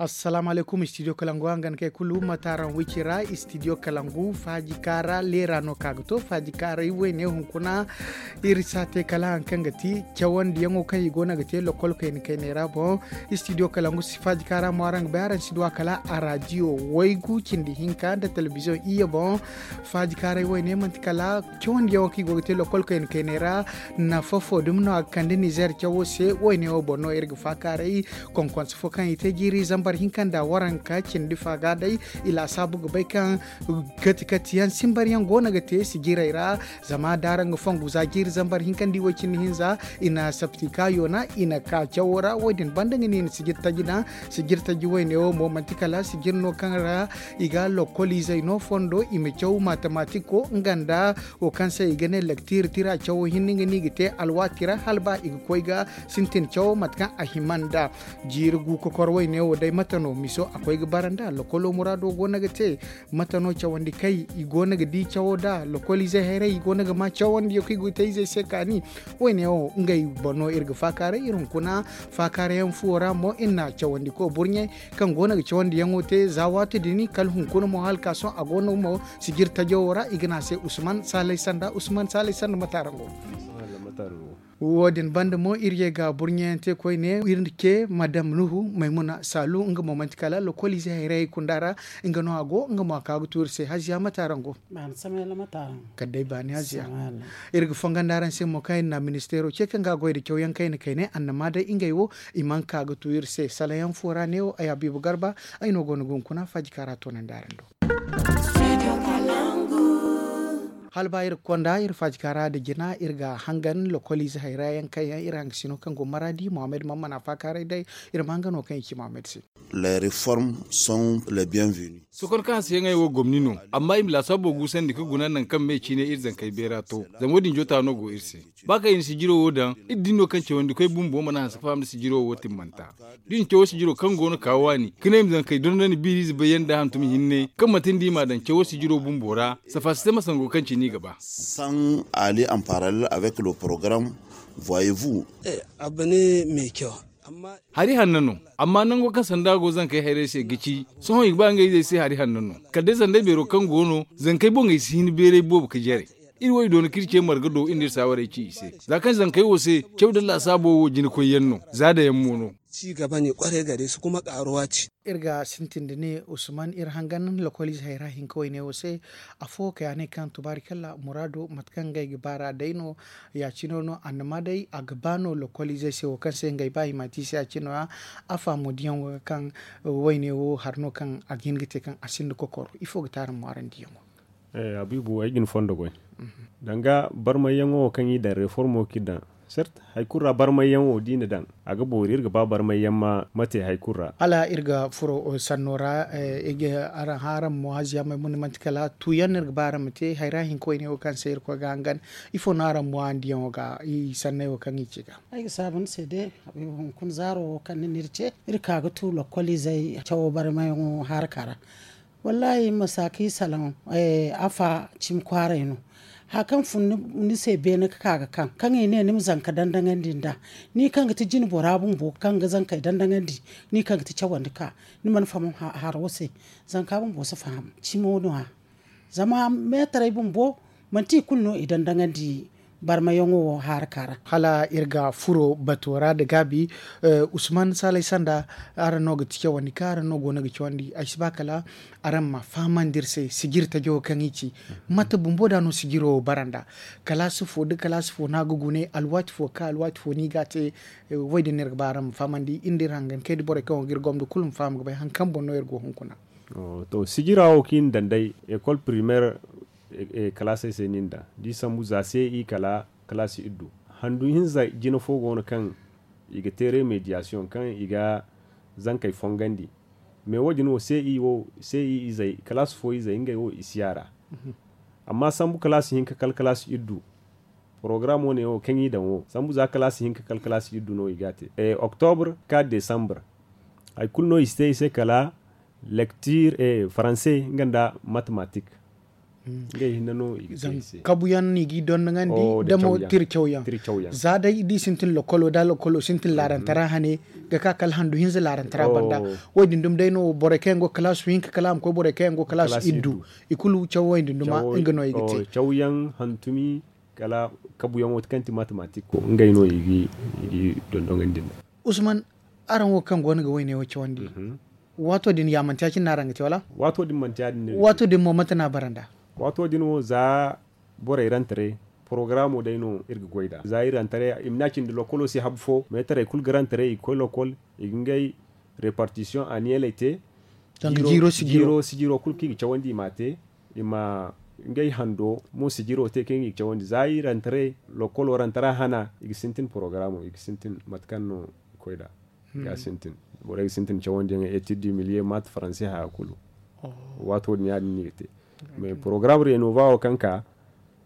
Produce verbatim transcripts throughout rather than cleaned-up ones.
Assalaamu alaykum, studio kalangu hangan kay kulu mataaraŋ wicira. Studio kalangu faaji kaara leera no ka ga to faaji kaaray wayne hunkuna. Iri sa te kala haŋ kaŋ ga ti cawandiyaŋo kaŋ i go no ga te lokol kayna kaynay ra boŋ. Studio kalangu si faaji kaara mo araŋ ga bay araŋ si du a kala a raadiyo waygu cindi hinka nda telebiziyoŋ iyye boŋ. Faaji kaaray wayne manti kala cawandiyaŋo kaŋ i go ga te lokol kayna kaynay ra. Nafa fo dumi no a ga kande nizeer cawo se wayne wo boŋ no iri ga faakaaray. Konkonse fo kaŋ i te jiiri zambar hinka nda waranka cindi fa ga day. I laasaabu ga bay kaŋ kati kati yaŋ simbar yaŋ go no ga te sijiray ra. Zama da araŋ ga fongu za jiiri zambar hinka nda i way cindi hinza i na sapti ka yoona i na ka cawo ra wo- din banda nga no i na sijir taji daŋ. Sijir taji wayne wo mo manti kala sijir no kaŋ ra i ga lokol izey no fondo i ma caw matematiko nga nda wo kaŋ se i ga ne lektir tira cawo hinne nga no i ga te alwaati ra hala ba i ga koy ga sintin cawo mate kaŋ a hima nda. Jiiri gu kokor wayne wo day mate no miso a koy ga bara nda lokolo muraado go no ga te. Mate no cawandi kay i go no ga di cawo da lokol izey hayray i go no ga ma cawandiyo kaŋ i go ga te izey se kaani. Wayne wo ngey boŋ no iri ga faakaaray iri hunkuna faakaaray yaŋ fuwo ra mo iri na cawandiko burɲey kaŋ go no ga cawandiyaŋo te za waati din kala hunkuna mo hala ka sohõ a go no mo sijir tajo wo ra i ga ne a se usman saalay sanda usman saalay sanda mate araŋ go. Wo- din banda mo iri ye ga burɲeyaŋ te koyne iri ce madam nuhu maymuna saalu nga mo manti kala lokol ize hayray kunda ra. Nga no a go nga mo a ka ga tu iri se haziya mate araŋ go? Kala day baani haziya. Iri ga fongandi araŋ se mo kaŋ iri na ministeero ce kaŋ ga a goy nda cawyaŋ kayna kayne annama day ngey wo i mana ka ga tu iri se salayaŋ fo ra neewo ay habiibu garba. Ay no go no ga hunkuna faaji kaŋ a ra toonandi araŋ do. Hala ba iri ga konda iri faaji kaŋ a ra nda jina iri ga hangan lokol ize hayra yaŋ kaŋ yaŋ iri hangasino kaŋ go maraadi mohammed mammana faakaaray day. Iri ma hangan wo kaŋ i ci mohammed se. Les reformes sont les bienvenues. Sokon kaŋ a si yaŋ ay wo gomni no. Amma i ma laasaabo guusandi ka guna nangu kaŋ me ciine iri zankey beera to. Zama wo- din joota no go iri se. Ba kaŋ i na sijiro wo daŋ iri din no kaŋ cawandikoy bumbo mana hanse ka faham nda sijiro wo timmanta. Da i na cawo sijiro kaŋ go no ka waani ka ne i ma zankey dondon i biiriize bayyaŋ nda hantum hinne kaŋ manti nda i m'a daŋ cawo sijiro bumbo ra. Safa si te ma sango kaŋ cine i ga ba. Sans aller en parallèle avec le programme, voyez-vous. Hari hanno no. Amma nango kaŋ sanda go zankey hayrey se ga ci. Sohõ i ga ba ngey izey se hari hanno no. Kala day sandey beero kaŋ go no zankey boŋey si hin beeray boobo ga jare. Iri wo i doona ka iri ce marga do iri na iri saawarey ci i se. Za kaŋ zankey wo se caw da laasaabo wo jina koyyaŋ no. Za dayaŋ mo no. Ci gaba ne kwarai gare su kuma karuwa ce. Iri ga sintin da ne usman iri hangan lokolize hayra hinka wayne wo se. Afo kay a ne kaŋ tubaari kalla muraado mate kaŋ ngey ga baara day no. Ya- cino no annama day a ga ba no lokolize se wo kaŋ se ngey ba i ma te i se ya- cino ya. Afa mo diyaŋo ga kaŋ wayne wo hari no kaŋ a ga hin ga te kaŋ a sinda kokoro ifo ga te araŋ mo araŋ diyaŋo? Habiibu ay ga ni fondo goy. Danga barmayyaŋo wo kaŋ i daŋ reformo kaŋ i daŋ. Sert hari kulu ra barmayyaŋo da i na daŋ a ga boori iri ga ba barmayyaŋ ma te hari kulu ra. Hala iri ga furo sanno ra. Araŋ hã araŋ mo haziya maymuna manti kala tuuyaŋ no iri ga ba araŋ ma te hayra hinka wayne wo kaŋ se iri koy ga hangan. Ifo no araŋ mo araŋ diyaŋo ga i sanney wo kaŋ i ci ga? Ay ga saabu ni se de. Hunkuna zaaro wo kaŋ ni na iri ce iri ka ga tu lokoliizey cawo barmayaŋo haraka ra. Wallaahi ma saaka i salaŋ. Afa cimi kwaaray no. Hari kaŋ fun ni se beene ka ka ga kaŋ kaŋ i ne ni ma zanka dandaŋandi nd'a. Ni kaŋ ga ti jine bora bumbo kaŋ ga zankey dandaŋandi. Ni kaŋ ga ti cawandi ka ni mana faham haro se. Zanka bumbo si faham cimo no- ya. Zama meetaray bumbo manti i kulu no i dandaŋandi barmayaŋo wo haraka ra. Hala iri ga furo bato ra nda gaabi. Usman saalay sanda araŋ no ga ti cawandi kaŋ araŋ no go no ga cawandi ay si ba kala araŋ ma fahamandi iri se sijiri tajo kaŋ i ci. Mate bumbo da no sijiro wo bara nda kalaasi fo nda kalaasi fo no a ga gune alwaati fo ka alwaati fo no i ga a te. Wo- din no iri ga ba araŋ ma fahamandi iri nda iri hangan kay nda borey kaŋ go ga iri gomdo kulu ma faham ga bay hari kaŋ boŋ no iri go hunkuna. To sijira wo kaŋ i na daŋ day ekol primeer kalaasey se no i na daŋ da i sambu za se i kala kalaasi iddu. Handu hinza jina fo go no kaŋ i ga te remediyasiyoŋ kaŋ i ga zankey fongandi. Me wo- din wo se i wo se i izey kalaasi fo izey ngey wo i si ya ra. Amma sambu kalaasi hinka kala kalaasi iddu. Porogaramo ne wo kaŋ i daŋ wo sambu za kalaasi hinka kala kalaasi iddu no i ga a te. Oktobr ka desambr hari kulu no i si te i se kala lektir faranse nga nda matematik. Ngey hinne no i ga te i se. Kabuyaŋ no i g'i dondonandi da mo tira cawyaŋ. Za day da i sintin lokolo da lokolo sintin laarantara hane ga ka kala handu hinza laarantara banda. Wo- din duma day no borey kaŋ yaŋ go kalaasu hinka kala a ma koy borey kaŋ yaŋ go kalaasu iddu. I kulu cawo wo- din duma nga no i ga te. Cawyaŋ hantumi kala kabuyaŋo kaŋ ti matematik ko ngey no i g'i dondonandi nda. Usman, araŋ wo kaŋ go no ga wayne wo cawandi, waato din ya manti ya- cine no araŋ ga te wala? Waato din manti ya- din no. Waato din mo mate no a bara nda? Waato din wo za borey rantare porogaraamo day no iri ga goy nd'a za iri rantare i ma ne a cindi lokolo si habu fo meetarey kulu ga rantare i ga koy lokol, i ga ngey repartisiyoŋ aniyeley te. Jiiro sijiro kulu kaŋ i ga cawandi i m'a te. I ma ngey hando mo sijiro te kaŋ i ga cawandi za iri rantare lokolo rantara hana i ga sintin porogaraamo i ga sintin mate kaŋ no i ga koy nd'a. Ga sintin borey ga sintin cawandiyaŋ etid du miliye maate faranse haya kulu. Waato din ya- din no i ga te. Mais porogaraam renova wo kaŋ ka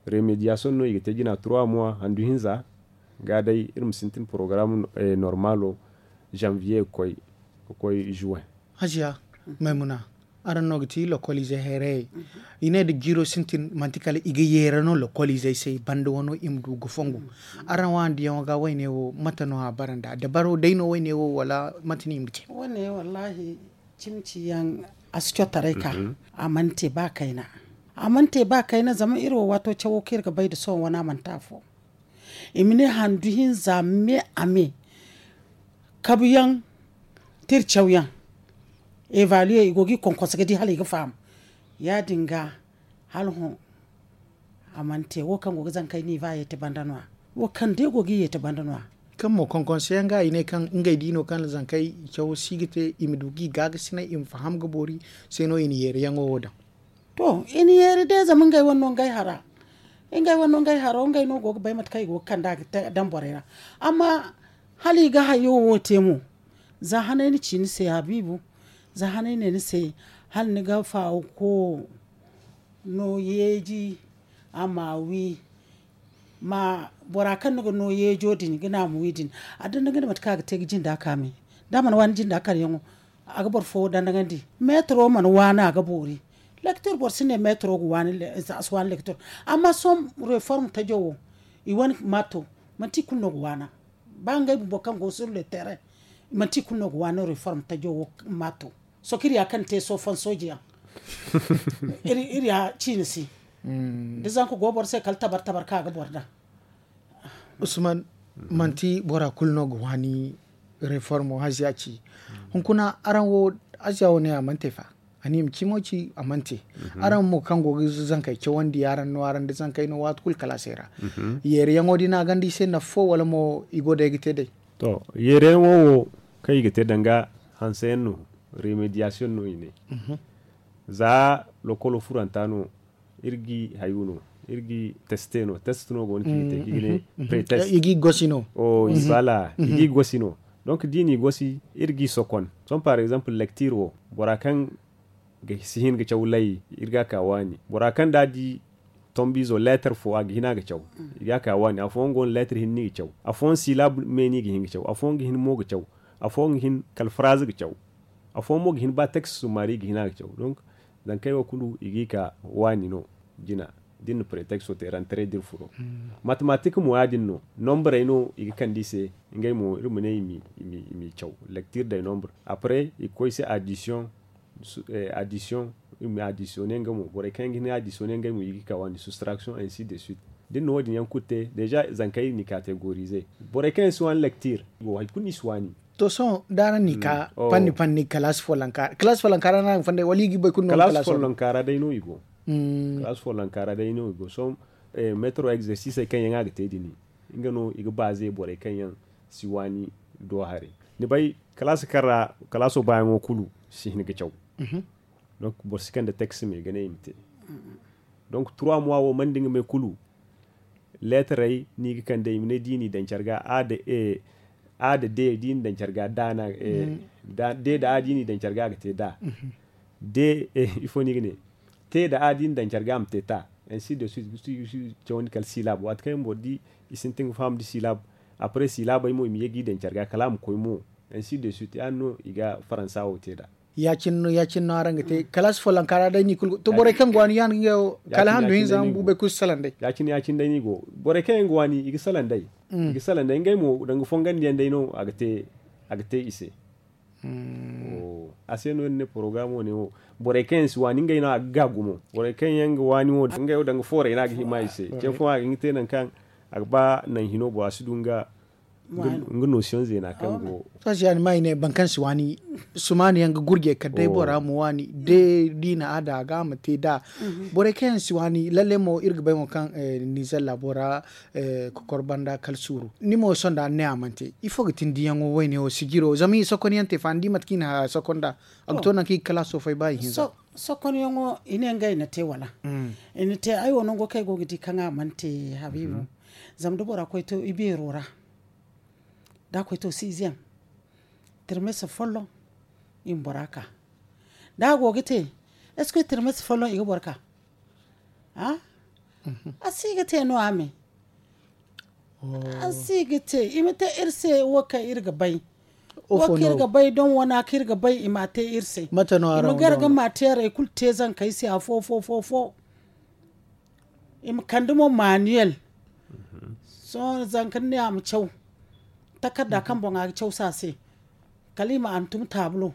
remediyasoŋ no i ga te jina trois mois handu hinza. Ga day iri ma sintin porogaraam normaalo, janviye ga koy ga koy juwen. Hajiya, maymuna, araŋ no ga ti lokoliizey hayrayey. I ne da jiiro sintin manti kala i ga yeera no lokoliizey se banda wano i ma du ga fongu. Araŋ waandiyaŋo ga wayne wo mate no a bara nda dabaro day no wayne wo wala mate no i ma ga te? Wane wallaahi, cimi ciyaŋ a si cotaray ka a mana te ba kayna. A mana te ba kayna zama iri wo waato cawo kaŋ iri ga bay nda sohõ wane a mana te afo. I ma ne handu hinza me a me kabuyaŋ, tira cawyaŋ, evaluer i go ga i konkonse ga di hala i ga faham. Ya- din ga hala hõ a mana te wo kaŋ go ga zankey niiva yeeti banda no- ya. Wo kaŋ day go ga i yeeti banda no- ya. Kaŋ mo konkonse yaŋ ga i ne kaŋ ngey di no kaŋ zankey cawo si ga te i ma du ga i gaagasinay i ma faham ga boori se no i na yeeriyaŋo wo daŋ. To, i na yeeri day zama ngey wane no ngey hara. Ngey wane no ngey haro ngey no go ga bay mate kaŋ i go ga kand'a ga daŋ borey ra. Amma hala i ga hayo wo te mo, za hanay na ci ni se habiibu, za hanay ne ni se hala ni ga faawo ko no yeeji a ma wi. Ma bora kaŋ ni ga no yeejo din ga na a ma wi din, a danda nga ne mate kaŋ a ga te ga jinda kaame. Da a mana waani jinda karyaŋo, a ga boro fo danda nga ndi. Meetaro mana waani a ga boori. Lektir boro si ne meetaro ga waani a si waani lektir. Amma sohõ reform tajo wo i wane maato manti i kulu no ga waana. Ba ngey bumbo kaŋ go sur le terrain manti i kulu no ga waani reform tajo wo maato. Sohõ kaŋ iri ya kaŋ te sohõ fansooji yaŋ iri ya ciina si. Da zanka go boro se kala tabar tabar kaŋ a ga boro daŋ. Usman, manti bora kulu no ga waani reformo haziya ci. Hunkuna araŋ wo haziya wo ne a mana te fa? A na i ma cimo ci a mana te. Araŋ mo kaŋ go ga zankey cawandi araŋ no araŋ da zankey no waati kulu kalaasey ra. Yeeriyaŋo din a gonda i se nafa fo wala mo i go day ga te day? To, yeeriyaŋo wo kaŋ i ga te danga hanseyaŋ no, remediyasiyoŋ no i ne. Za lokolo furanta no iri ga i hayu no, iri ga i teste no test no go no kaŋ i ga te kaŋ i ga ne pretest. I ga i gosi no. Voilà, i ga i gosi no. Donc da i n'i gosi iri ga i sokon. Sohõ par exemple lektir wo, bora kaŋ ga si hin ga caw lay, iri ga a ka waani. Bora kaŋ da a di tombiizo leetar fo a ga hin a ga caw, i ga a ka waani. Afooyaŋ go no leetar hinne i ga caw, afooyaŋ silab me no i ga hin ga caw, afooyaŋ ga hin mo ga caw, afooyaŋ ga hin kala faraaze ga caw, afooyaŋ mo ga hin ba teks summaari i ga hin a ga caw. Donc zankey wo kulu i ga i ka waani no. Jina da iri na pretexto te rantare da iri furo. Matematik mo ya- din no, nombrey no i ga kande i se. Ngey mo iri ma ne i m'i caw lecture day nombre. Après i ga koy i se addition. Addition i ma additionner nga mo borey kaŋ yaŋ ga hin additionner ngey mo i ga i ka waani soustraction ainsi de suite. Da iri na wo- din yaŋ kulu te déjà zankey iri n'i categoriser. Borey kaŋ yaŋ si waani lecture i go hari kulu no i si waani. To sohõ da araŋ n'i ka panni panni kalaasi follonka ra no araŋ ga fonday wala i ga i boy kulu no kalaasi follonka ra day no i go. Kalaasi follonka ra day no i go sohõ. Metro exercisey kaŋ yaŋ a ga te din nga no i ga baaze borey kaŋ yaŋ si waani do haray. Ni bay kalaasi kaŋ ra kalaaso baayaŋo kulu si hin ga caw. Donc boro si kande texte me ga ne i ma te. Donc trois mois wo mana di nga me kulu leetarey no i ga kande i ma ne da i n'i daŋ care ga a da e a da de da i n'i daŋ care ga da na e da de da a da i n'i daŋ care ga a ga te da. De ifo no i ga ne te da a da i n'i daŋ care ga a ma te ta. Ainsi de suite ga si cawandi kala silab waati kaŋ yaŋ boro di i sintin ga faham da silab. Après silabey mo i ma ye ga i daŋ care ga kala a ma koy mo. Ainsi de suite ya- din no i ga faransa wo te da. Ya- cine no araŋ ga te kalaasi follonka ra day ni kulu to borey kaŋ ga waani yaŋ ga ngey wo kala handu hinza bumbo bumbo kulu si salaŋ day. Ya- cine ya- cine day ni go borey kaŋ yaŋ ga waani i ga salaŋ day. I ga salaŋ day ngey mo danga fongandi yaŋ day no a ga te i se. A se no iri ne porogaraamo ne wo borey kaŋ yaŋ si waani ngey no a ga ga gumo. Borey kaŋ yaŋ ga waani wo ngey wo danga foorey no a ga hima i se ce fooyaŋ a ga hin ga te nangu kaŋ a ga ba naŋ hino boŋ a si du nga notion zeena kaŋ go. To a se yaŋ ma i ne boro kaŋ si waani sumaani yaŋ ga gurje kala day bora ma waani de da i na a da a ga a ma te da. Borey kaŋ yaŋ si waani lalle mo iri ga bay mo kaŋ nizer laabo ra kokor banda kala suuru ni mo sohõ da ni ne a mana te ifo ga tin diyaŋo wayne wo sijiro zama i sokonyaŋ te fa ni di mate kaŋ i na haya sokon da a ga to nangu kaŋ i ga kalaaso fay ba i hinza. Sokonyaŋo i ne ngey na te wala i na te ay wo nango kaŋ ay go ga di kaŋ a mana te habiibu. Zama da bora koy to i beero ra da a koy to siiziyam tirmesi folloŋ i ma bora ka da a go ga te eskoy tirmesi folloŋ i ga boro ka a si ga te no a me. A si ga te i ma te iri se wo kaŋ iri ga bay wo kaŋ iri ga bay don wana kaŋ iri ga bay i ma a te iri se i ma gar ga ma te yaray kulu te zankey se afo fo fo fo. I ma kande mo maniyel sohõ zanka ni ne a ma caw takarda kaŋ boŋ a ga caw se a se kala i ma a na tun taabulo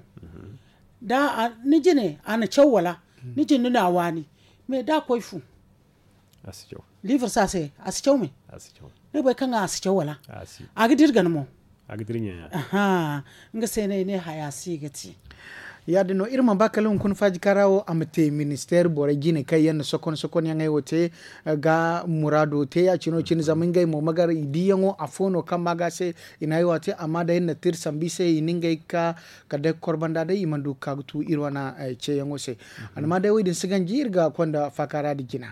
da ni jine a na caw wala ni jine ni na a waani mais da a koy fu liibir se a se a si caw me ni ga bay kaŋ a si caw wala a ga dira gana mo. Nga se no ay ne haya si ga te. Ya- din no iri mana ba kala hunkuna faaji kaŋ ra wo a ma te ministeer borey jine kaŋ yaŋ na sokon sokon yaŋey wo te ga muraado te ya- cine wo cine zama ngey mo ma gar i diyaŋo afo no kaŋ ma ga se i na ay wo a te amma day iri na te iri sambu i se i na ngey ga ka kala day ga kor banda day i mana du ga ka ga tu iri wane ceeyaŋo se. Amma day wo- din si ganji iri ga konda faakaara din jina.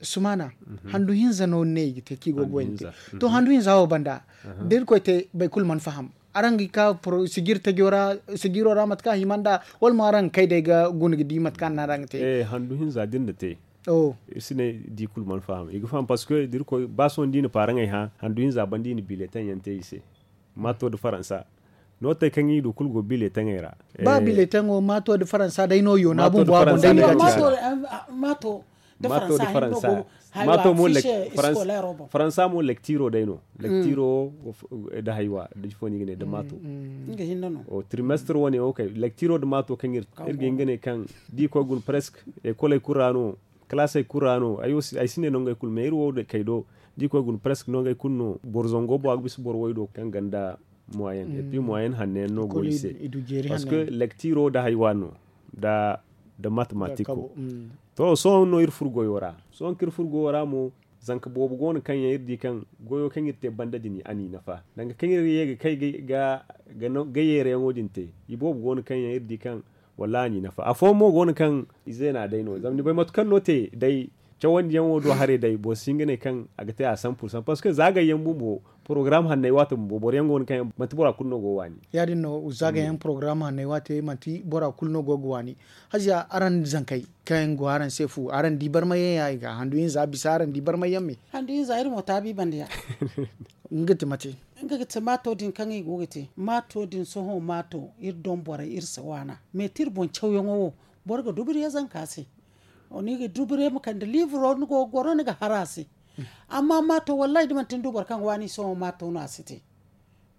Sumaana handu hinza no ni ne i ga te kaŋ i go ga wayna te to handu hinza wo banda da iri koy te boro kulu mana faham araŋ ga ka sijiri tajo ra sijiro ra mate kaŋ a hima nd'a wala mo araŋ ga kay day ga guna ga di mate kaŋ a na araŋ ga te handu hinza da iri na te iri si ne di kulu mana faham i ga faham parceque da iri koy ba sohõ da i na paaraŋey hã handu hinza banda i na bileteŋ yaŋ te i se maato nda faransa nootey kaŋ i du kulu go bileteŋey ra ba bileteŋo maato nda faransa day no yoona bumbo a boŋ day ni ga te maato da faransa maato mo faransa mo lektiro day no lektiro da haywa da jifo ni ga ne da maato trimestre wane wo kay lektiro da maato kaŋ iri ga hin ga ne kaŋ da i koy guna presque ekoley kulu ra no kalaasey kulu ra no ay si ne no ngey kulu mais iri wo kay do da i koy guna presque no ngey kulu no boro zango bo a ga bisa boro way do kaŋ ganda moyen et puis moyen hanne yaŋ no go i se parce que lektiro da haywa no da da matematik to sohõ no iri furo goyo ra sohõ kaŋ iri furo goyo ra mo zanka boobo go no kaŋ yaŋ iri di kaŋ goyo kaŋ iri te banda din a n'i nafa danga kaŋ iri ye ga kay ga yeerayaŋo din te i boobo go no kaŋ yaŋ iri di kaŋ wallaahi a n'i nafa afooyaŋ mo go no kaŋ i zeena day no zama ni bay mate kaŋ no te day cawandiyaŋo do haray day boro si hin ga ne kaŋ a ga te a san pursan parceque za gayyaŋ bumbo porogaram hanney waate bumbo boroyaŋ go no kaŋ manti bora kulu no go waani ya- din no za gayyaŋ porogaram hanney waate manti bora kulu no go ga waani haziya araŋ zankey kaŋ yaŋ go araŋ se fu araŋ di barmayyaŋ ya i ga handu hinza bisa araŋ di barmayyaŋ me handu hinza iri mo taabi banda ya nga ti mate nga ga ti maato din kaŋ i go ga te maato din sohõ maato iri doŋ borey iri si waana mais ti iri boŋ cawyaŋo wo boro ga duburiye zanka se ni ga duburiye ma kande liiburo ni go ga goro ni ga har a se amma maato wallahi da manti ni du boro kaŋ ga waani sohõ maato no a si te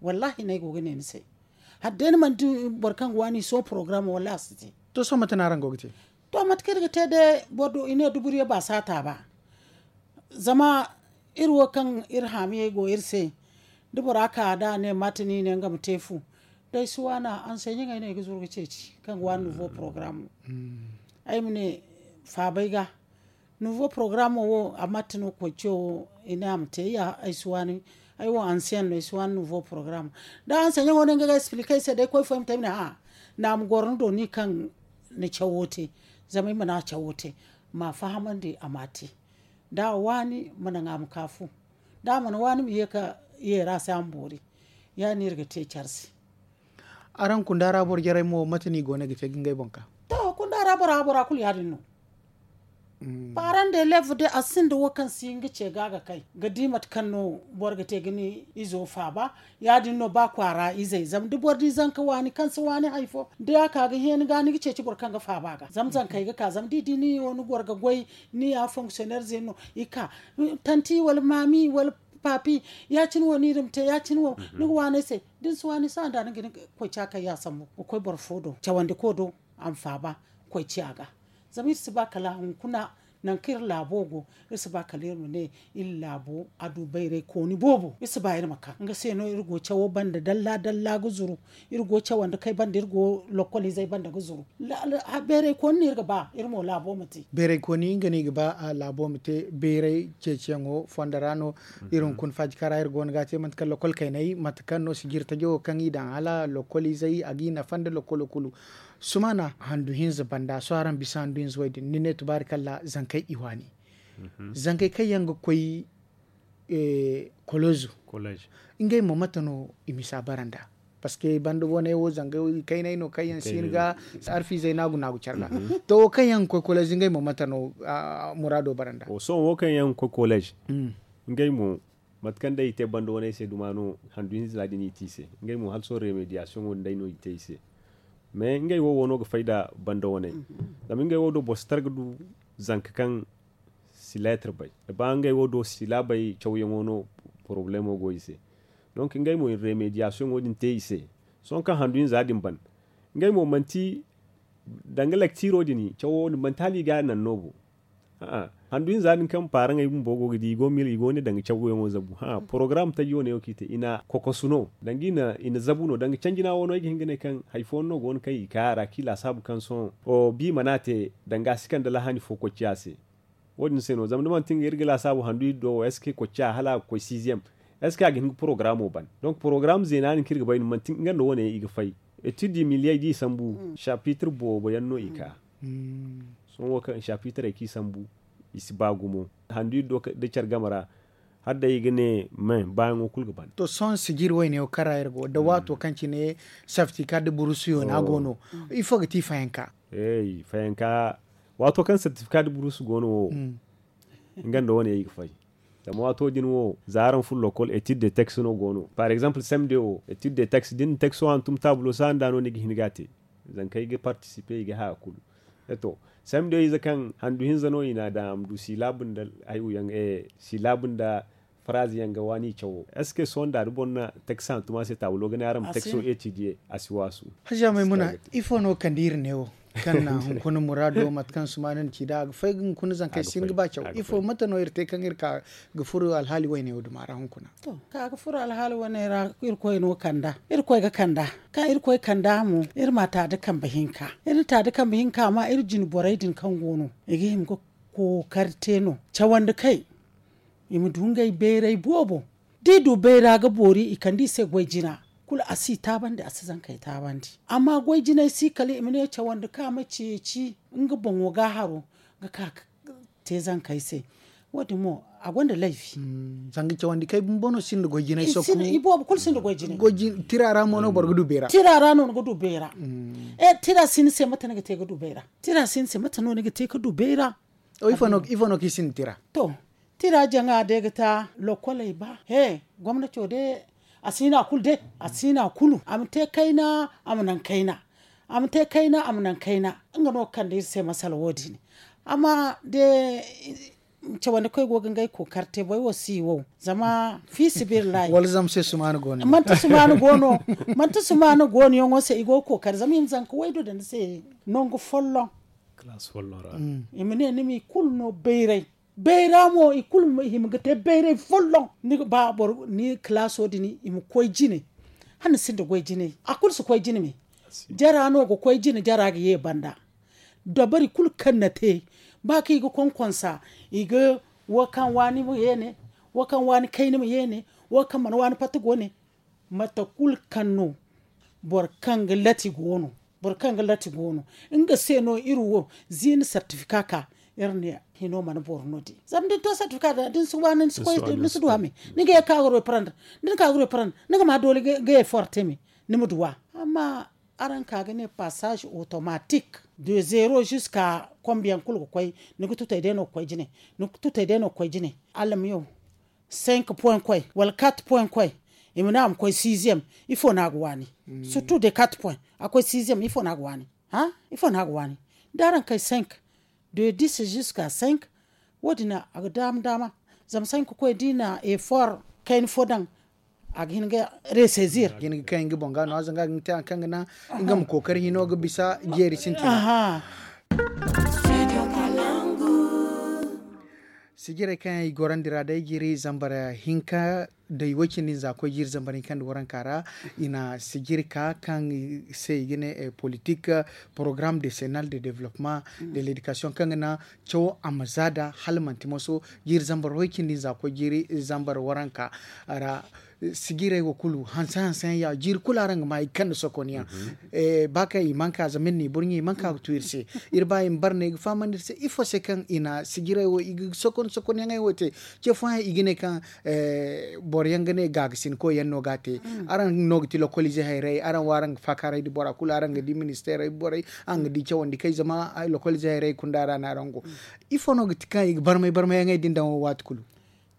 wallahi no ay go ga ne ni se hala day ni mana di boro kaŋ ga waani sohõ porogaraamo wallahi a si te to sohõ mate no araŋ go ga te to mate kaŋ iri ga te day boro do i ne duburiye ba saata ba zama iri wo kaŋ iri haamiyey go iri se da bora ka da a ne mate no i ne nga ma te fu da ay si waana anseɲaŋey no ay ga zuru ga ceeci kaŋ ga waani nouveau porogaraamo ay ma ne faabay ga nouveau porogaraamo wo a mate no koy ce wo i ne a ma te ay si waani ay wo anseyaŋ no ay si waani nouveau porogaraamo da anseyaŋo no nga ga explique ay se day koy fo ay ma te ay ma ne a naama goro ni do ni kaŋ ni cawo te zama ay mana cawo te ma a fahamandi a ma a te da a waani ma naŋ a ma ka fu da a mana waani ma ye ka yeera se a ma boori ya- din no iri ga te care se araŋ kunda ra boro jarey mo mate no i go no ga te ga ngey boŋ ka to kunda ra bora bora kulu ya- din no Parent d'élève de a sinda wo kaŋ si hin ga ce ga ga kay ga di mate kaŋ no boro ga te ga ni izo faaba. Ya- din no ba kwaara izey zama da boro di zanka waani kaŋ si waani hari fo da a ka ga hẽeni ga ni ga ceeci boro kaŋ ga faaba ga zama zankey ga ka zama da i di ni wo ni goro ga goy ni ya fonctionnaire zey no i ka tanti wala maami wala papi ya- cine wo ni iri ma te ya- cine wo ni ga waani ay se da ni si waani sohõ da ni ga hin ga koy ci a kaŋ ya sambu ga koy boro fo do cawandi ko do a ma faaba koy ci a ga. Zama iri si ba kala hunkuna nangu kaŋ iri laabo go iri si ba kala iri ma ne iri laabo a du bayray kooni boobo iri si ba iri ma ka nga se no iri go cawo banda dalla dalla ga zuru iri go cawandi kay banda iri go lokol izey banda ga zuru. Bayray kooni no iri ga ba iri mo laabo ma te. Bayray kooni nga no i ga ba laabo ma te bayray ceeciyaŋo fondo ra no. Iri hunkuna faajika ra iri go no ga a te manti kaŋ lokol kaynay mate kaŋ no sijiri tajo wo kaŋ i daŋ hala lokol izey a ga i nafa nda lokolo kulu. Sumaana handu hinza banda sohõ araŋ bisa handu hinza wo- din ni ne tubaarikalla zankey i waani. Zankey kaŋ yaŋ ga koy kolozu ngey mo mate no i misa bara nd'a? Parceque banda wane wo zanga kaynay no kaŋ yaŋ si hin ga arfiizey naagu naagu care ga. To wo kaŋ yaŋ ga koy kolozu ngey mo mate no muraado bara nd'a? Sohõ wo kaŋ yaŋ ga koy kolozu ngey mo mate kaŋ day i te banda waney se duma no handu hinza din i te i se. Ngey mo hala sohõ remediyasoŋo din day no i te i se. Mais ngey wo wo no ga fay nda banda waney. Zama ngey wo do boro si tara ga du zanka kaŋ si leetar bay da ba ngey wo do si laabay cawyaŋo no porobalemo go i se. Donc ngey mo i na remediyasoŋo din te i se. Sohõ kaŋ handu hinza din ban ngey mo manti danga lektiro din cawo din manti hala i ga a naŋ no bo. Handu hinza din kaŋ paaraŋey bumbo go ga di i go ga ne danga cawyaŋo zabu. Porogaram taji wane wo kaŋ i te i na kokosu no danga i na zabu no danga canjina wo no ay ga hin ga ne kaŋ hari fooyaŋ no go no kaŋ i ga ka a ra kaŋ i laasaabu kaŋ sohõ bi mana te danga a si kande lahani fo koy ciya se. Wo- din se no zama da manti nga iri ga laasaabu handu iri do wo est ce que koy ciya hala a ga koy sixième? Est ce que a ga hin ga porogaraamo ban? Donc porogaram zeena din kaŋ iri ga bay no manti nga nda wane i ga fay. Etid i miliyey da i sambu chapitre boobo yaŋ no i ka. Sohõ wo kaŋ chapitrey kaŋ i sambu i si ba gumo. Handu iri do da care game ra hala day i ga ne me baayaŋo kulu ga ban. To sohõ sijiri wayne wo kaŋ ra iri go da waato kaŋ cine certificat de bourse yo no a go no? Ifo ga ti fayanka? Fayanka waato kaŋ certificat de bourse go no wo nga nda wane i ga fay. Zama waato din wo za araŋ furo lokol etid de texte no go no par exemple sem de wo etid de texte da ni na texto hantum taabulo sahanda no ni ga hin ga a te. Zankey ga participer i ga haya kulu. To sem de ize kaŋ handu hinza no i na a daŋ a ma du silaabu nda hayo yaŋ silaabu nda faraazi yaŋ ga waani cawo est ce que sohõ nda da boro na texte hantum a se taabulo ga ne araŋ ma texto etid ye a si waasu. Haja maymuna ifo no kande iri ne wo kaŋ na hunkuna muraado mate kaŋ sumaana na ci nd'a a ga fay ga hunkuna zankey si hin ga ba caw ifo mate no iri te kaŋ iri ka ga furo alhaali wayne wo duma ra hunkuna? To ka ga furo alhaali wane ra irkoy no kanda irkoy ga kanda kaŋ irkoy kanda mo iri ma taadi kambe hinka iri na taadi kambe hinka ma iri jine borey din kaŋ go no i ga hima ga kookari te no cawandi kay i ma du ngey bayray boobo. Da i du bayra ga boori i kande i se goy jina kulu a si i taabandi a si zankey taabandi. Amma goy jinay si kala i ma ne cawandi kaŋ a ma ceeci nga boŋo ga haro ga ka ga te zankey se. Wo- din mo a gonda layfi. Zanga cawandi kay bumbo no sinda goy jinay sokku i boobo kulu sinda goy jinay. Tira ra mo no boro ga du beera tira ra no ni ga du beera. Tira si ni se mate ni ga te ga du beera tira si ni se mate no ni ga te ga du beera? Ifo no kaŋ i sinda tira? To tira jaŋa day ga ta lokoley ba he gomnato day a si na kulu day a si na kulu a ma te kayna a ma naŋ kayna a ma te kayna a ma naŋ kayna. Nga no ga kande iri se masala wo- din amma day cawandi koy go ga ngey kookari te boro wo si wow zama fiisabilillahi wala zama se sumaana go no manti sumaana go no manti sumaana go no yaŋo se i go ga kookari zama i ma zanka waydu daŋ ni se nangu folloŋ. I ma ne ni ma i kulu no bayray bayra mo i kulu ma hima ga te bayray folloŋ ni ga ba boro ni kalaaso din i ma koy jine. Hala ni sinda goy jinay a kulu si koy jine me. Jara no ga koy jine jara ga ye banda dabari kulu kaŋ na te ba kaŋ i ga konkonsa i ga wo kaŋ waani ma ye ne wo kaŋ waani kayna ma ye ne wo kaŋ mana waani fatta go ne. Mate kulu kaŋ no boro kaŋ ga lati go no boro kaŋ ga lati go no nga se no iri wo ziina sartifika ka iri ne hino mana boro no di zama da ni to sartifika da da ni si waani ni si koy ni si du hame ni ga ye ka ga roy paranda da ni ka ga roy paranda ni ga ma doole ga ye forte me ni ma duw'a. Amma araŋ ka ga ne passage automatique de zero jusqu'à Kombiyaŋ kulu ga koy, ni ga tutay day no ga koy jine. Ni ga tutay day no ga koy jine. Alamiyo, cinq point koy wala quatre point koy, i ma ne a ma koy sixième. Ifo no a ga waani? Surtout de quatre point a koy sixième, ifo no a ga waani? Hã? Ifo no a ga waani? Da araŋ kay cinq, de dix jusqu'à cinq, wo- din a ga daama daama. Zama cinq koy da i na effort kayna fo daŋ, a ga hin ga ressaisir. A ga hin ga kay nga boŋ ga no a zanga a ga hin ga te hari kaŋ ga naŋ nga ma kookari hino ga bisa jeeri sintina. Sijirey kaŋ yaŋ i gorandi ra day jiiri zambar hinka da i way cindi nza koy jiiri zambar hinka nda waranka ra, i na sijiri ka kaŋ se i ga ne politique programme décennal de développement de l'éducation kaŋ ga naŋ cawo a ma za da hala manti moso jiiri zambar way cindi nza koy jiiri zambar waranka ra. Sijirey wo kulu hanse hanse yaŋ ya jiiri kulu araŋ ga ma i ga kande sokon yaŋ. Ba kaŋ i mana ka zama iri na i burɲe i mana ka ga tu iri se. Iri ba i ma bare no i ga fahamandi iri se ifo se kaŋ i na sijirey wo i ga sokon sokon yaŋey wo te. Ce fooyaŋ i ga ne kaŋ boro yaŋ ga ne gaagasin koy yaŋ no ga a te. Araŋ no ga ti lokolize hayrey araŋ wo araŋ ga faakaaray da bora kulu araŋ ga di ministeerey borey araŋ ga di cawandi kay zama lokolize hayrey kunda ra no araŋ go. Ifo no ga ti kaŋ i ga barmay barmay yaŋey din daŋ wo waati kulu?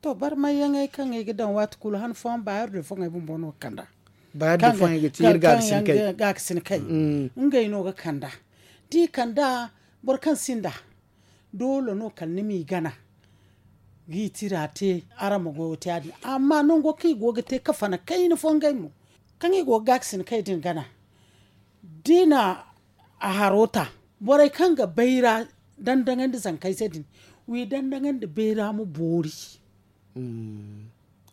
To barmay yaŋey kaŋ i ga daŋ waati kulu han fooyaŋ baayar de fooyaŋey bumbo no ga kand'a. Baayar de fooyaŋey ga ti iri gaagasin kay. Ngey no ga kand'a da i kand'a. Boro kaŋ sinda doole no kala ni m'i gana. Ga i tira te araŋ ma goyo te ya- din amma nango kaŋ i go ga te kafana kayna fo ngey mo kaŋ i go ga gaagasin kay din gana. Da i na a haro ta borey kaŋ ga bayra dandaŋandi zankayze din. W'i dandaŋandi bayra ma boori.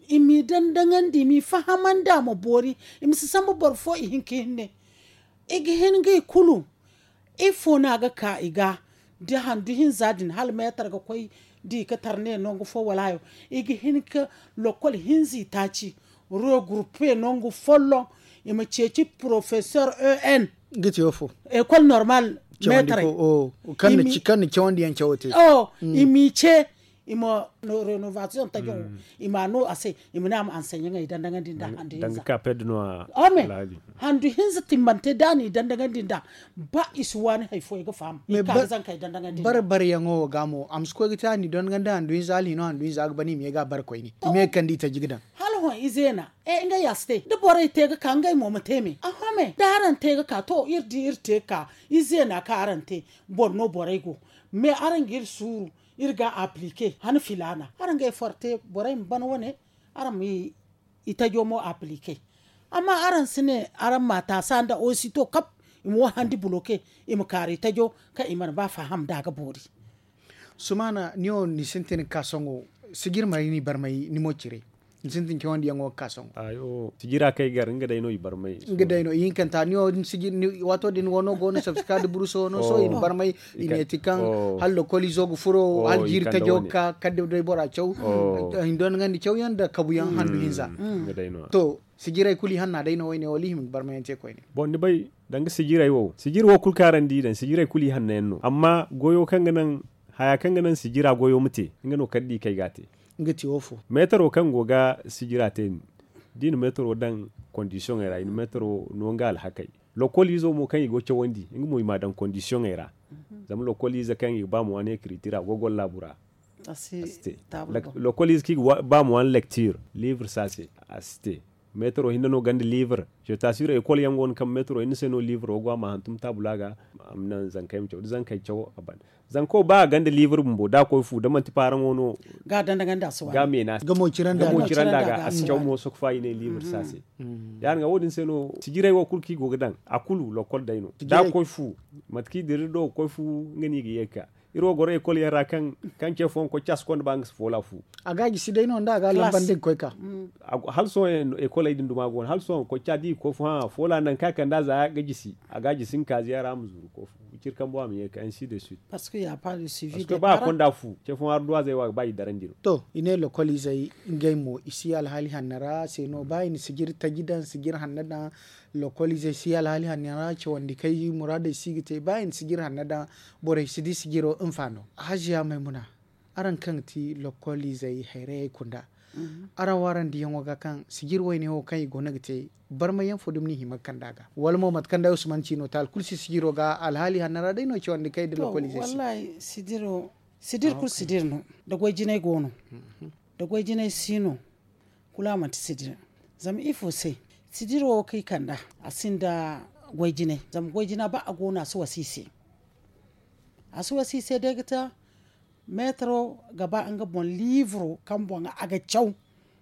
I m'i dandaŋandi i m'i fahamandi a ma boori. I ma si sambu boro fo i hin ka hinne. I ga hin ga i kulu ifo no a ga ka i ga da handu hinza din hala meetar ga koy da i ga tar ne nangu fo wala hayo. I ga hin ga lokol hinza i taaci regroupe nangu folloŋ. I ma ceeci professeur en ga ti wofo école normale meetarey kaŋ na cawandi yaŋ cawo te. I m'i ce i ma renovation tajo i ma a no a se. I ma ne a ma ansanyaŋey dandaŋandi nda handu hinza. Ome handu hinza timmante da a n'i dandaŋandi nda ba i si waani hari fo i ga faham i ka ga zankey dandaŋandi nda. Bare bare yaŋo wo ga mo a ma si koy ga te a n'i dandaŋandi handu hinza hala hino handu hinza ga ban i ma ye ga a bare koyne i ma ye ga kande i taji ga daŋ. Hala hõ i zeena e ngey a si te da borey te ga ka ngey mo ma te me a home da araŋ te ga ka to iri di iri te ga ka i zeena kaŋ araŋ te. Boro no borey go me araŋ ga iri suuru iri ga aplike han filaana araŋ ga effort te borey ma ban wane. Araŋ ma i tajo mo aplike amma araŋ si ne araŋ ma taasa nda osito kap i ma wo handi buloke i ma kaaru i tajo kaŋ i mana ba faham da a ga boori. Sumaana ni wo ni sintin ga ka sohõ sijir maray ni barmay ni mo cire ni sintin cawandi yaŋo ga ka sohõ. Sijira kaŋ ay gar nga day no i barmay nga day no i hinkanta ni wo din sijir waato din wano go no sabsika da buruso wano sohõ i na barmay i ne ti kaŋ hala lokolizo ga furo hala jiiri tajo ga ka kadde day bora caw hindo ni gandi cawyaŋ nda kabuyaŋ handu hinza. To sijiray kulu i hanna day no wayne wala i hima ga barmayaŋ te koyne. Boŋ ni bay danga sijirey wo sijir wo kulu kaŋ araŋ di daŋ sijirey kulu i hanno yaŋ no amma goyo kaŋ ga naŋ haya kaŋ ga naŋ sijira goyo ma te nga no kala da i kay ga a te. Nga ti wo fo? Meetaro kaŋ go ga sijira te din da i na meetaro daŋ kondisiyoŋey ra i na meetaro no nga alhakey. Lokol izo mo kaŋ i go cawandi nga mo i m'a daŋ kondisiyoŋey ra. Zama lokol ize kaŋ i ga ba ma waani ekritira a go goro laabu ra. A si te. Lokol ize kaŋ i ga ba ma waani lektir livre si a se. A si te. Meetaro hinne no gonda livre. Seta siro ekol yaŋ go no kaŋ meetaro hinne se no livre wo go a ma hantum taabula ga. A ma naŋ zankey ma caw da zankey caw a ban. Zanko ba a gonda livre bumbo da a koy fu da manti paaraŋo no ga a danda ganda a si waani ga meena ga mo ciranda ga a si caw mo sokfa i ne livre si a se. Ya- din ga wo- din se no sijirey wo kulu kaŋ i go ga daŋ a kulu lokol day no da a koy fu. Mate kaŋ i dira iri do ga koy fu nga no i ga ye ga ka iri wo goro ekol yaŋ ra kaŋ ce fooyaŋ koy ca si konda ba nga si foola fu. A ga a jisi day no nda a ga a lambandi ga koy ka. Hala sohõ ekoley din duma go no hala sohõ koy ca da i ga koy fu hã foola nangu kaŋ a kande a za ga jisi a ga a jisi nga kaaziya ra a ma zuru koy fu. Ciri kambo a ma ye ga ka ainsi de suite. Parceque ba a konda fu ce fooyaŋ arduwazey wo a ga ba i darandi no. To i ne lokol izey ngey mo i si alhaali hanno ra se no ba i na sijiri taji daŋ sijiri hanno daŋ. Lokol izey si alhaali hanno ra cawandi kay muraadey si ga te ba i na sijiri hanno daŋ. Borey si di sijiro nfa no haziya maymuna. Araŋ kaŋ ga ti lokol izey hayrayey kunda Araŋ wo araŋ diyaŋo ga kaŋ sijir wayne wo kaŋ i go no ga te, barma yaŋ fo dumi n'i hima ga kand'a ga wala mo mate kaŋ day usman ci no taali kulu si sijiro ga alhaali hanna ra day no cawandi kay da lokolize se. Sijir kulu sijir no, da goy jinay go no, da goy jinay si no. Kulu a manti sijir. Zama ifo se? Sijir wo kaŋ i kand'a, a sinda goy jinay zama goy jina ba a go no a si wasa i se. A si wasa i se day ga ta meetaro ga ba nga boŋ liiviro kaŋ boŋ a ga caw.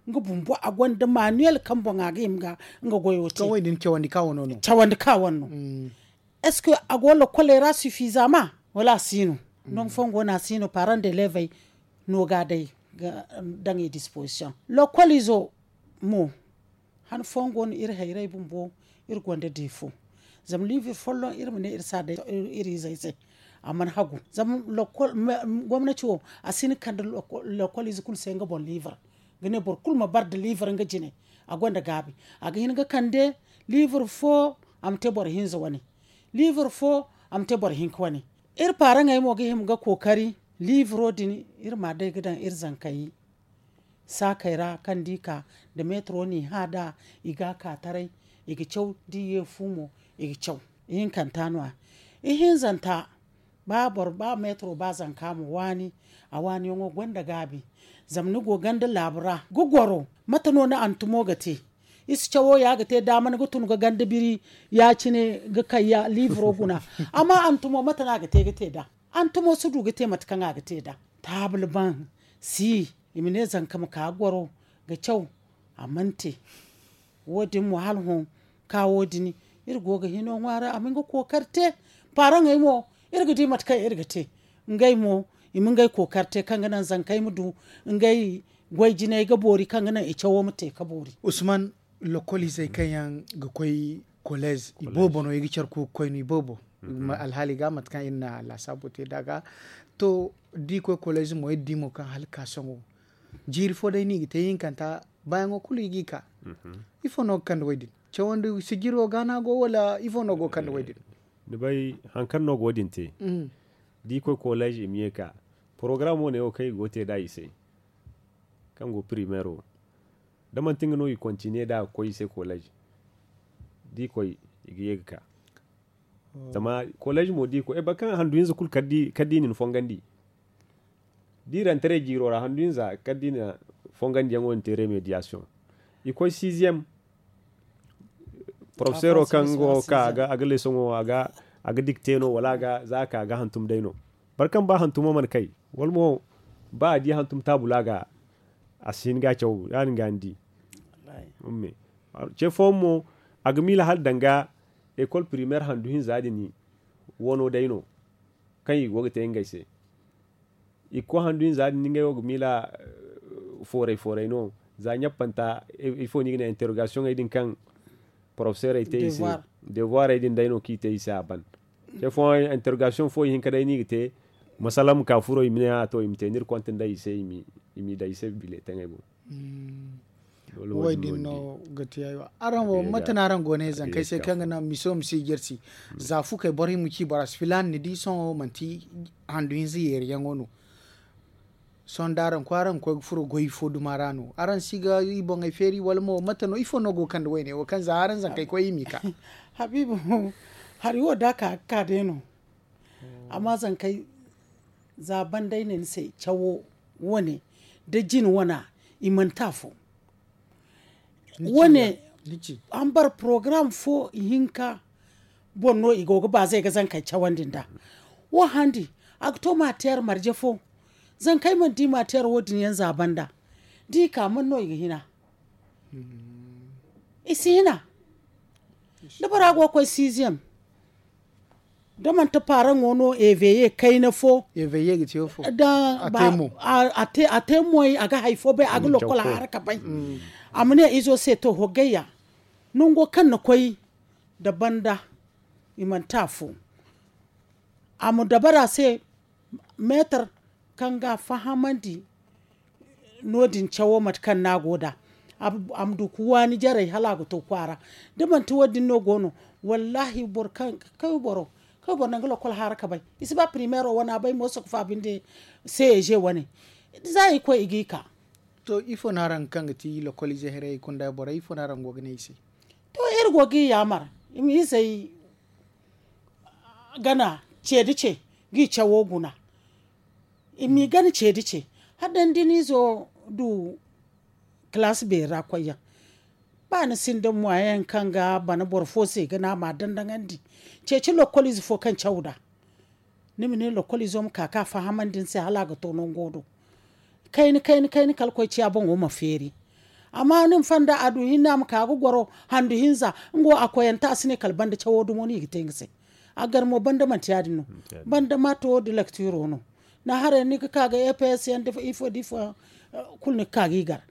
Nga bumbo a gonda manuel kaŋ boŋ a ga hima ga nga goyo te. Cawandi ka wane no. Est-ce que a go lakoley ra suffisamment? Wala a si no? Nangu fooyaŋ go no a si no parent de levey no ga a day ga daŋ i disposition. Lokolizo mo han fooyaŋ go no iri hayray bumbo iri gonda defo. Zama livre folloŋ iri ma ne iri si a day iri izey se. A mana hagu zama gomnati wo a si ni kande lokolize kulu se nga boŋ livre. Ga ne boro kulu ma bare nda livre nga jine. A gonda gaabi. A ga hin ga kande livre fo a ma te boro hinza wane. Livre fo a ma te boro hinka wane. Iri paaraŋey mo ga hima ga kookari livro din iri ma a day ga daŋ iri zankey saakey ra kaŋ da i ka nda meetaro n'i hã nd'a. I ga a ka taray i ga caw da i ye fu mo. I ga caw ihinkanta no- ya. Ihinzanta ba boro ba meetaro ba zanka ma waani. A waaniyaŋo gonda gaabi. Zama ni go ganda laabu ra ga goro mate no ni hantumo ga te? I si cawo ya ga te daama ni ga tun ga ganda biri ya- cine ga kay ya liiviro guna. Amma hantumo mate no a ga te ga te nd'a? Hantumo si du ga te mate kaŋ a ga te nd'a. Taabul baŋ si i ma ne zanka ma ka ga goro ga caw. A mana te. Wo- din mo hala hõ ka wo- din iri go ga hino ŋwaara a ma nga kookari te. Paaraŋey mo iri ga di mate kaŋ iri ga te. Ngey mo i ma ngey kookari te kaŋ ga naŋ zankey ma du ngey goy jinay ga boori kaŋ ga naŋ i cawo ma te ka boori. Usman, lokol izey kaŋ yaŋ ga koy kolez i boobo no i ga care ku ga koy no i boobo. Alhaali ga mate kaŋ iri na laasaabo te nd'a ga to da i koy kolez mo iri di mo kaŋ hala ga ka sohõ jiiri fo day no i ga te ihinkanta baayaŋo kulu i g'i ka. Ifo no ga kande wo- din? Cawandi sijiro ga no a go wala ifo no go ga kande wo- din? Ni bay hari kaŋ no go wo- din te da i koy kolez i ma ye ga ka porogaram wo- ne wo kaŋ i go ga te nd'a i se kaŋ go primeero da manti nga no i kontiniye nd'a ga koy i se kolez da i koy i ga ye ga ka. Zama kolez mo da i koy boro kaŋ handu hinza kulu kala da i na ni fongandi da i rantaray jiiro ra handu hinza kala da i na fongandiyaŋo din te remediyasiyoŋ. I koy siiziyem porofesero kaŋ go ka a ga leesoŋo a ga dikte no wala a ga za a ka a ga hantum day no. Boro kaŋ ba hantumo mana kay wala mo ba a di hantum taabula ga a si hin ga a caw ya- din ga ni di. Ce fooyaŋ mo a ga miila hala danga ekol primeer handu hinza din wano day no kaŋ i go ga te ngey se. I ga koy handu hinza din ngey wo ga miila fooray fooray no za ɲappanta ifo no i ga ne interogasiyoŋey din kaŋ porofeseerey te i se. Devuwarey din day no kaŋ i te i se a ban. Ce fooyaŋ interogasiyoŋ fo ihinka day no i ga te masala ma ka furo i ma ne a to i ma te no iri konte nda i se i m'i daŋ i se bileetaŋey boŋ. Wo- din no ga te aywa araŋ wo mate no araŋ go ne zankey se kaŋ ga naŋ miso ma si jirsi za fukey boro hima ci boro si filaana ni di sohõ manti handu hinza yeeriyaŋo no. Sohõ da araŋ koy araŋ ga koy ga furo goy fo duma ra no araŋ si ga i boŋey feeri wala mo mate no ifo no go ga kande wayne wo kaŋ za araŋ zankey koy i m'i ka? Habiibu, hari wo da a ka ga ka day no. Amma zankey za banda ay ne ni se cawo wane da jine wana i mana te afo. Wane ambar porogaram fo ihinka boŋ no i go ga baazey ga zankey cawandi nd'a. Wo handi a ga to maateer marje fo. Zankey mana di maateer wo- din yaŋ za banda da i ka mana no i ga hina? I si hina. Da bora go ga koy siiziyem da manti paaraŋo no eveye kayna fo. Da a te moy a ga hari fo bay a ga lokol haraka bay. A ma ne izo se to hogayya nango kaŋ ni koy da banda i mana te afo. A ma dabara se meetar kaŋ ga a fahamandi no- din cawo mate kaŋ no a go nd'a. A ma du ga waani jarey hala a ga to kwaara. Da manti wo- din no go no wallaahi boro kaŋ ga kay boro kaŋ ga boro naŋ ga lokol haara ka bay i si ba primeero wane a bay mooso ga faabu nda seeje wane. Za i koy i g'i ka To, ifo no araŋ kaŋ ga ti lokoliize haray kunda borey ifo no araŋ go ga ne i se? To, iri go ga i yaamar i ma izey gana ce da ce ga i cawo guna. I m'i gana ce da ce hala da ni da ni izo du kalaasi beeri ra koyyaŋ. Ba ni sinda moyen kaŋ ga bana boro fo se ga ne a ma a dandaŋandi. Ceeci lokoliize fo kaŋ caw nd'a ni ma ne lokoliizo ma ka ka fahamandi ni se hala a ga to nango do. Kayna kayna kayna kala koy ciya boŋo ma feeri. Amma ni ma fanda a du hinne a ma ka ga goro handu hinza nga wo a koyante a si ne kala banda cawo dumo no i ga te nga se. A gar mo banda manti ya- din no. Banda maato da laktiro no. Ni haray ni ga ka ga eps yaŋ da ifo da ifo yaŋ kulu ni ga ka ga i gar.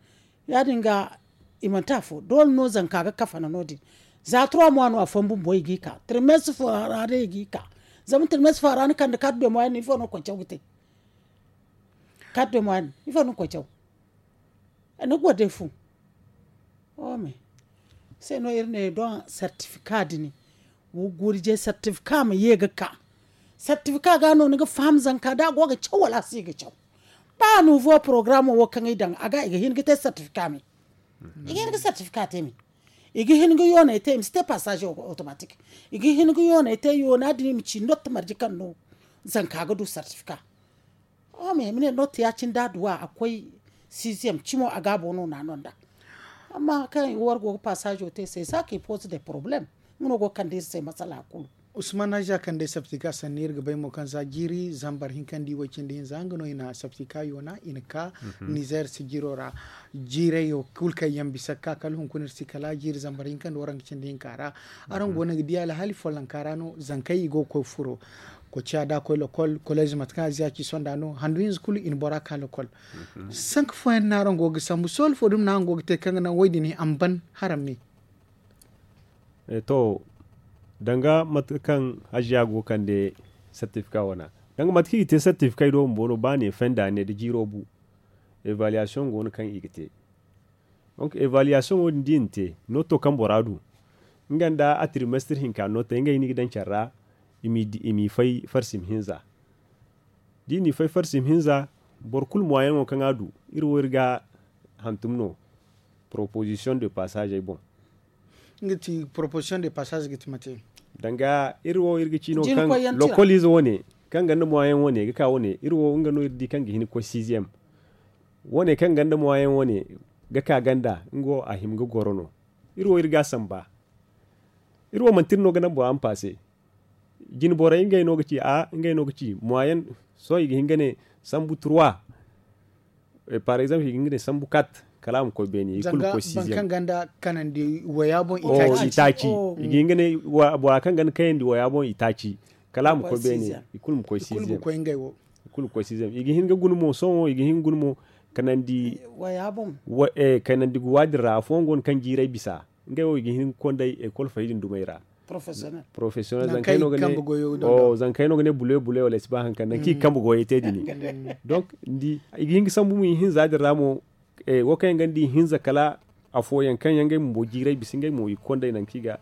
Ya- din ga i manti afo doole no zanka ga kafana no- din. Za trois mois no afooyaŋ bumbo i ga i ka trimestre fo ra day i ga i ka. Zama trimestre fo ra ni kande quatre de mois yaŋ no ifo no ga koy caw ga te. Quatre de mois yaŋ no ifo no ga koy caw. Ni ga war day fu. Wo me se no iri ne don certificat din. Wo gurje certificat ma ye ga ka. Certificat ga no ni ga faham zanka da a go ga caw wala a si ga caw. Ba nouveau programme wo kaŋ i daŋ a ga i ga hin ga te certificat me. I ga hin ga certificat te me. I ga hin ga yoonay te i ma si te passage automatique. I ga hin ga yoonay te yoona din i ma ci note marje kaŋ no zanka ga du certificat. Wo me i ma ne note ya- cine da a du a a koy sixième cimo a gaabo no na no nd'a. Amma kaŋ war go ga passage te se ça qui pose des problèmes. Nga no go ga kande iri se masala kulu. Usman haja kaŋ day certificat sanni iri ga bay mo kaŋ za jiiri zambar hinka nda i way cindi hinza nga no i na certificat yoona i na ka nizer sijiro ra. Jiirayo kulu kaŋ yaŋ bisa ga ka kala hunkuna iri si kala jiiri zambar hinka nda waranka cindi hinka ra. Araŋ go no ga di alhaali follonka ra no zankey i go ga koy furo. Koy ciya da a koy lokol kolez mate kaŋ a ziya ci sonda no handu hinza kulu i na bora ka lokol. Sanka fooyaŋ no araŋ go ga sambu sohõ fo dumi no araŋ go ga te kaŋ ga naŋ wo- din a ma ban haramme. To, danga mate kaŋ haziya go ga kande certificat wana danga mate kaŋ i ga te certificat do bumbo no ba ne fenda ne da jiiro bu. Evaluation go no kaŋ i ga te. Donc evaluation wo- din da i na te no to kaŋ bora du nga nda a trimestre hinka no te ngey no i ga daŋ care ra. I m'i fay farsim hinza. Da i n'i fay farsim hinza boro kulu moyen wo kaŋ a du iri wo iri ga hantum no. Proposition de passage ay boŋ. Nga ti proposition de passage ga ti mate? Danga iri wo iri ga ci no kaŋ lokolize wo- ne kaŋ ganda moyen wo- ne ga ka wo- ne iri wo nga no iri di kaŋ ga hin ga koy sixième. Wo- ne kaŋ ganda moyen wo- ne ga ka ganda nga wo a hima ga goro no. Iri wo iri ga a samba. Iri wo manti iri no ga naŋ bora ma paase. Jine borey ngey no ga ci a ngey no ga ci moyen. Sohõ i ga hin ga ne sambu trois. Par exemple i ga hin ga ne sambu quatre kala a ma koy beene i kulu ma koy sixième. Kanandi waya boŋ i taaci. I ga hin ga ne bora kaŋ ganda kayandi waya boŋ i taaci kala a ma koy beene. I kulu ma koy sixième. I ga hin ga guna mo sohõ i ga hin ga guna mo kanandi waya boŋ. Kanandi guwa din ra afooyaŋ go no kaŋ jiiray bisa ngey wo i ga hin ga konday ekol fay din dumey ra. Professionnel zankey no ga ne bule bule wala ay si ba haŋ kaŋ nankaŋ i ga kambe goyey te din. Donc ni di i ga hin ga sambu mo i hinza din ra mo. Wo kaŋ yaŋ ga ni di i hinza kala afooyaŋ kaŋ yaŋ ngey bumbo jiiray bisa ngey mo i ga konday nankaŋ i ga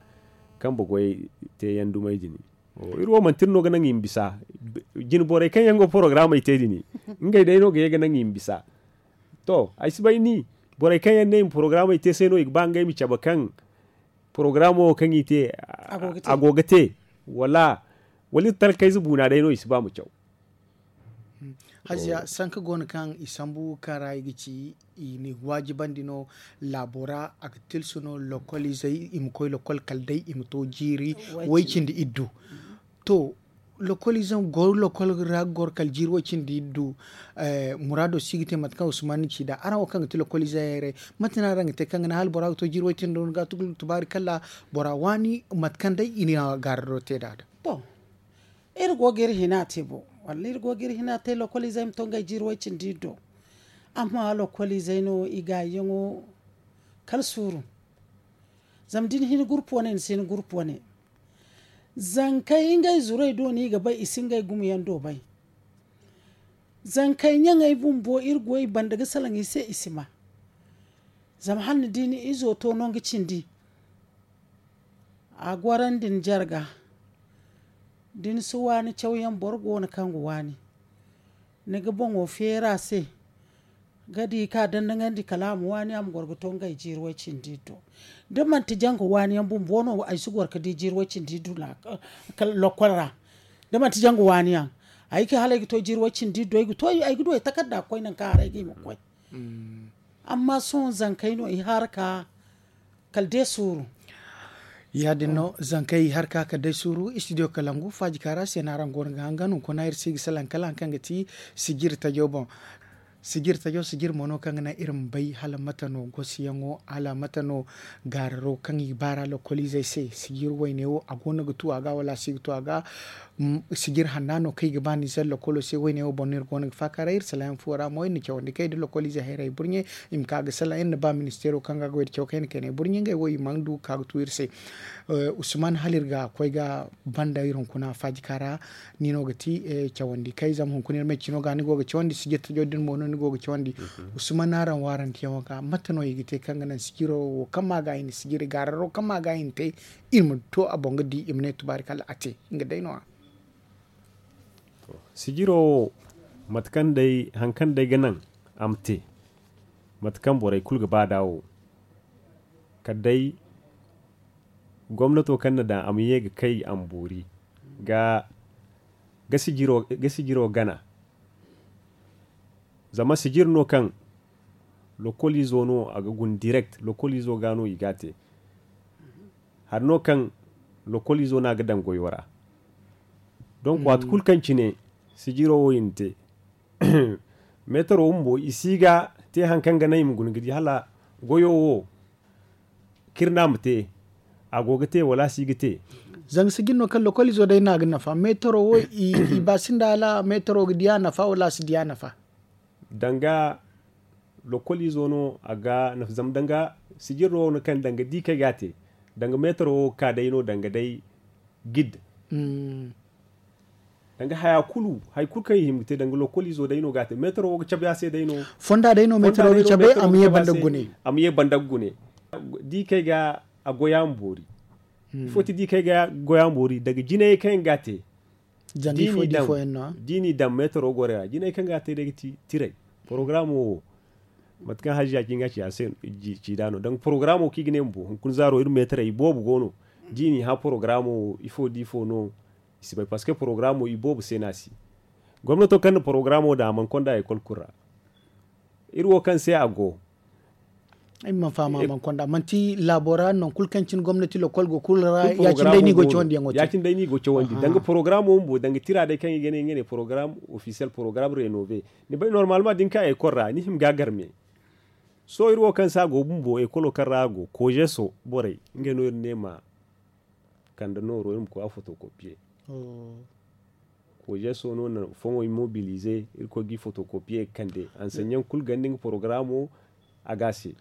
kambe goyey te yaŋ dumey din. Iri wo manti iri no ga naŋ i ma bisa. Jine borey kaŋ yaŋ go porogaraamey te din ngey day no ga ye ga naŋ i ma bisa. To ay si bay ni borey kaŋ yaŋ ne i ma porogaraamey te se no i ga ba ngey ma cabe kaŋ porogaraamo wo kaŋ i te a go ga te wala wala iri talkayze buuna day no i si ba ma caw. Haziya sanka go no kaŋ i sambu kaŋ ra i ga ci i na i waajibandi no. Laabo ra a ga tilsu no lokol izey i ma koy lokol kala day i ma to jiiri way cindi iddu. To lokol ize goro lokol ra goro kala jiiri way cindi iddu. Muraado si ga te mate kaŋ usman ni ci nd'a araŋ wo kaŋ ga ti lokol ize hayray mate no araŋ ga te kaŋ ga naŋ hala bora ga to jiiri way cindi no ga tugu tubaari kala bora waani mate kaŋ day i na gaarado te nd'a da. To iri go ga iri hina te bo walla iri go ga iri hina te lokol izey ma to ngey jiiri way cindi iddu. Amma lokol izey no i gaayi yaŋo kala suuru. Zama da ni hin gurpu wane ni si hin gurpu wane. Zankey ngey zurey do no i ga bay i si ngey gumo yaŋ do bay. Zankey ɲaŋey bumbo iri go i banda ga salaŋ i se i si ma. Zama hala ni di ni izo to no nga cindi a gorandi ni jarga. Da ni si waani cawyaŋ boro go no kaŋ ga waani ni ga boŋo feeri a se. Ga di ka dandaŋandi kala a ma waani a ma goro ga to ngey jiiri way cindi iddu. Da manti janga waani yaŋ bumbo no ay si goro ga di jiiri way cindi iddu lokol ra. Da manti janga waani yaŋ ay ga hala ay ga to jiiri way cindi iddu ay ga du ay takarda ga koy nanka haray ga i ma koy. Amma sohõ zankey no i harka kala day suuru. Ya- din no zankey i harka kala day suuru istidiyo kalangu faaji kaara se no araŋ go no ga hangan hunkuna iri si ga salaŋ kala hari kaŋ ga ti sijiri tajo boŋ. Sijiri tajo sijiri mo no kaŋ ga naŋ iri ma bay hala mate no gosiyaŋo hala mate no gaararo kaŋ i ga baara lokoliizey se sijiri wayne wo a go no ga tu a ga wala a si ga tu a ga. Sijir hanna no kaŋ i ga ba nizer lokolo se wayne wo boŋ no iri go no ga faakaaray iri salaham fuwo ra mo iri na cawandi kaŋ i da lokoliize hayray burɲe. I ma ka ga salaŋ iri na ba ministeero kaŋ ga goy da caw kaŋ i na kayna burɲe ngey wo i mana du ga ka ga tu iri se. Usman hala iri ga koy ga banda iri hunkuna faajika ra. Ni no ga ti cawandi kay zama hunkuna iri ma ay cino ga ni go ga cawandi sijir tajo din mo no ni go ga cawandi. Usman araŋ waarandiyaŋo ga mate no i ga te kaŋ ga naŋ sijiro wo kaŋ ma ga i na sijiri gaararo kaŋ ma ga i na te. Iri ma to a boŋ ga di i ma ne tubaari kala a te. Nga day no- ya. Sijiro wo mate kaŋ day hari kaŋ day ga naŋ a ma te mate kaŋ borey kulu ga ba nd'a wo. Kala day gomnato kaŋ na daŋ a ma ye ga kay a ma boori ga ga sijiro gana. Zama sijiri no kaŋ lokoliizo no a ga guna direct lokoliizo ga no i ga a te. Hari no kaŋ lokoliizo no a ga daŋ goyo ra. Donk waati kulu kaŋ cine sijiro wo i na te meetaro bumbo i si ga te hari kaŋ ga naŋ i ma guna ga di hala goyo wo kaŋ iri no a ma te a go ga te wala a si ga te. Zanga sijiri no kaŋ lokoliizo day no a ga nafa meetaro wo i ba sinda hala meetaro ga di a nafa wala a si di a nafa. Danga lokoliizo no a ga nafa zama danga sijiri no wo no kaŋ danga di kaŋ ay ga a te danga meetaro wo ga ka day no danga day gid. Danga haya kulu hari kulu kaŋ i hima ga te danga lokoliizo day no ga a te meetaro wo ga cabe a se day no. Fonda day no meetaro ga cabe a ma ye banda ga gune. Di kaŋ ay ga a goy a ma boori. Ifo ti di kaŋ ay ga goy a ma boori danga jinayey kaŋ ay ga a te. Da i n'i daŋ meetaro gorey ra jinay kaŋ ga a te day ga ti tiray. Porogaraamo wo mate kaŋ haziya cin ga ci a se ci da no danga porogaraamo kaŋ i ga ne bumbo hunkuna zaaro iri meetaray iboobo go no. Da i n'i hã porogaraamo wo ifo da ifo no i si bay parceque porogaraamo iboobo se no a si. Gomnato kaŋ na porogaraamo daŋ a mana konda ekol kulu ra. Iri wo kaŋ se a go. Ay ma faham a mana konda manti laabo ra nangu kulu kaŋ cine gomnati lokol go kulu ra ya- cine day no i go cawandi yaŋo te. Danga porogaraamo bumbo danga tira day kaŋ i ga ne nga ne porogaraam ofisiyel porogaraam renove. Ni bay normalement da ni ka ekol ra ni hima ga a garme. Sohõ iri wo kaŋ se a go bumbo ekolo kaŋ ra a go kozeso borey ngey no iri ne ma kande nooro iri ma koy a fotokopiye. Kozeso no na foŋo imobilize irkoy ga i fotokopiye ga kande ansaɲaŋ kulu ganda nga porogaraamo. A ga a se.